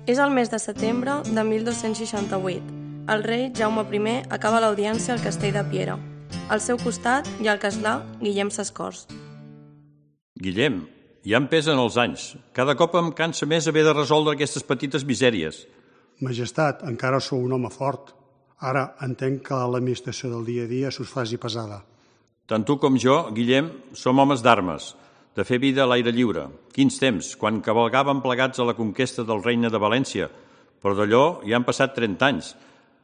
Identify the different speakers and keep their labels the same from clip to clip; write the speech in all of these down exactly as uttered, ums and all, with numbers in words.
Speaker 1: És el mes de setembre de mil dos-cents seixanta-vuit. El rei Jaume primer acaba l'audiència al castell de Piera. Al seu costat hi ha el castlà Guillem Sescors.
Speaker 2: Guillem, ja em pesen els anys. Cada cop em cansa més haver de resoldre aquestes petites misèries.
Speaker 3: Majestat, encara sou un home fort. Ara entenc que l'administració del dia a dia s'us faci pesada.
Speaker 2: Tant tu com jo, Guillem, som homes d'armes, de fer vida a l'aire lliure. Quins temps, quan cavalgàvem plegats a la conquesta del regne de València. Però d'allò ja han passat trenta anys.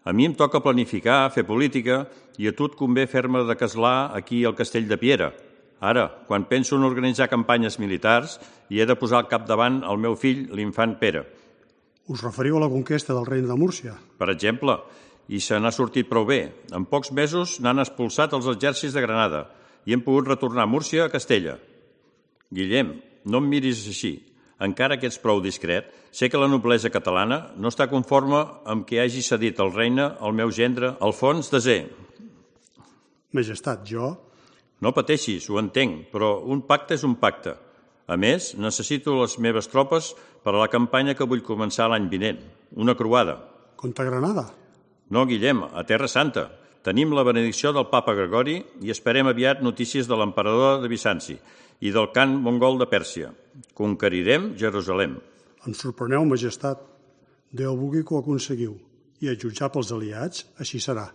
Speaker 2: A mi em toca planificar, fer política, i a tu et convé fer-me de castlà aquí al castell de Piera. Ara, quan penso en organitzar campanyes militars, hi he de posar al capdavant el meu fill, l'infant Pere.
Speaker 3: Us referiu a la conquesta del regne de Múrcia?
Speaker 2: Per exemple, i se n'ha sortit prou bé. En pocs mesos n'han expulsat els exèrcits de Granada i hem pogut retornar a Múrcia a Castella. Guillem, no em miris així. Encara que ets prou discret, sé que la noblesa catalana no està conforme amb que hagi cedit el regne al meu gendre, Alfons desè.
Speaker 3: Majestat, jo...
Speaker 2: No pateixis, ho entenc, però un pacte és un pacte. A més, necessito les meves tropes per a la campanya que vull començar l'any vinent, una croada.
Speaker 3: Contra Granada?
Speaker 2: No, Guillem, a Terra Santa. Tenim la benedicció del papa Gregori i esperem aviat notícies de l'emperador de Bizanci i del Khan mongol de Pèrsia. Conquerirem Jerusalem.
Speaker 3: Em sorpreneu, majestat. Déu vulgui que ho aconseguiu. I a jutjar pels aliats, així serà.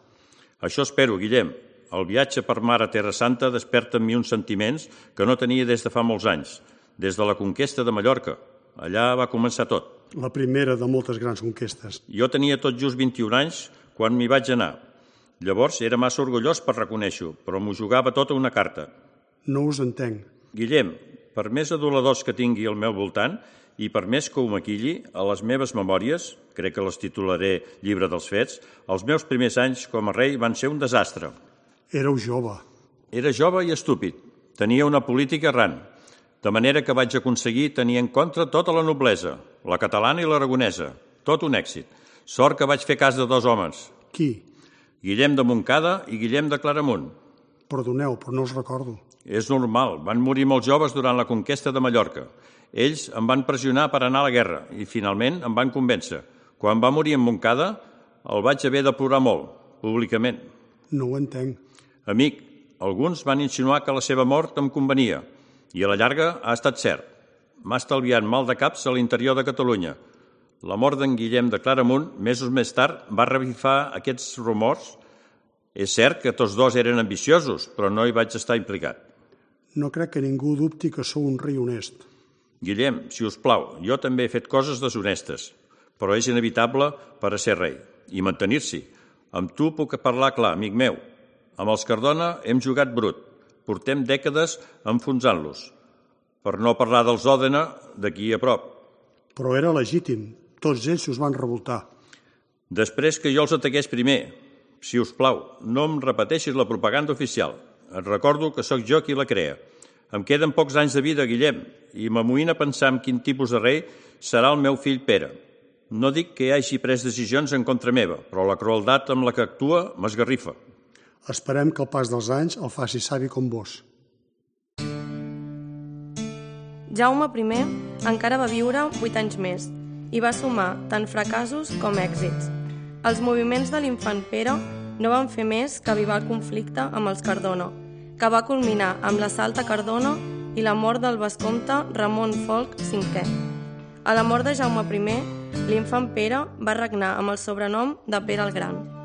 Speaker 2: Això espero, Guillem. El viatge per mar a Terra Santa desperta en mi uns sentiments que no tenia des de fa molts anys, des de la conquesta de Mallorca. Allà va començar tot.
Speaker 3: La primera de moltes grans conquestes.
Speaker 2: Jo tenia tot just vint-i-un anys quan m'hi vaig anar. Llavors era massa orgullós per reconèixer-ho, però m'ho jugava tota una carta.
Speaker 3: No us entenc.
Speaker 2: Guillem, per més aduladors que tingui al meu voltant i per més que ho maquilli, a les meves memòries, crec que les titularé Llibre dels Fets, els meus primers anys com a rei van ser un desastre.
Speaker 3: Éreu jove.
Speaker 2: Era jove i estúpid. Tenia una política errant, de manera que vaig aconseguir tenir en contra tota la noblesa, la catalana i l'aragonesa. Tot un èxit. Sort que vaig fer cas de dos homes.
Speaker 3: Qui?
Speaker 2: Guillem de Montcada i Guillem de Claramunt.
Speaker 3: Perdoneu, però no us recordo.
Speaker 2: És normal, van morir molts joves durant la conquesta de Mallorca. Ells em van pressionar per anar a la guerra i finalment em van convèncer. Quan va morir en Montcada, el vaig haver de plorar molt, públicament.
Speaker 3: No ho entenc.
Speaker 2: Amic, alguns van insinuar que la seva mort em convenia i a la llarga ha estat cert. M'ha estalviat mal de caps a l'interior de Catalunya. La mort d'en Guillem de Claramunt, mesos més tard, va revifar aquests rumors. És cert que tots dos eren ambiciosos, però no hi vaig estar implicat.
Speaker 3: No crec que ningú dubti que sou un rei honest.
Speaker 2: Guillem, si us plau, jo també he fet coses deshonestes, però és inevitable per a ser rei i mantenir-s'hi. Amb tu puc parlar clar, amic meu. Amb els Cardona hem jugat brut. Portem dècades enfonsant-los. Per no parlar dels Òdena, d'aquí a prop.
Speaker 3: Però era legítim. Tots ells us van revoltar.
Speaker 2: Després que jo els ataqués primer. Si us plau, no em repeteixis la propaganda oficial. Et recordo que sóc jo qui la crea. Em queden pocs anys de vida, Guillem, i m'amoïna pensar en quin tipus de rei serà el meu fill Pere. No dic que hagi pres decisions en contra meva, però la crueldat amb la que actua m'esgarrifa.
Speaker 3: Esperem que el pas dels anys el faci savi com vos.
Speaker 1: Jaume primer encara va viure vuit anys més i va sumar tant fracassos com èxits. Els moviments de l'infant Pere no van fer més que avivar el conflicte amb els Cardona, que va culminar amb l'assalt a Cardona i la mort del vescomte Ramon Folc cinquè. A la mort de Jaume primer, l'infant Pere va regnar amb el sobrenom de Pere el Gran.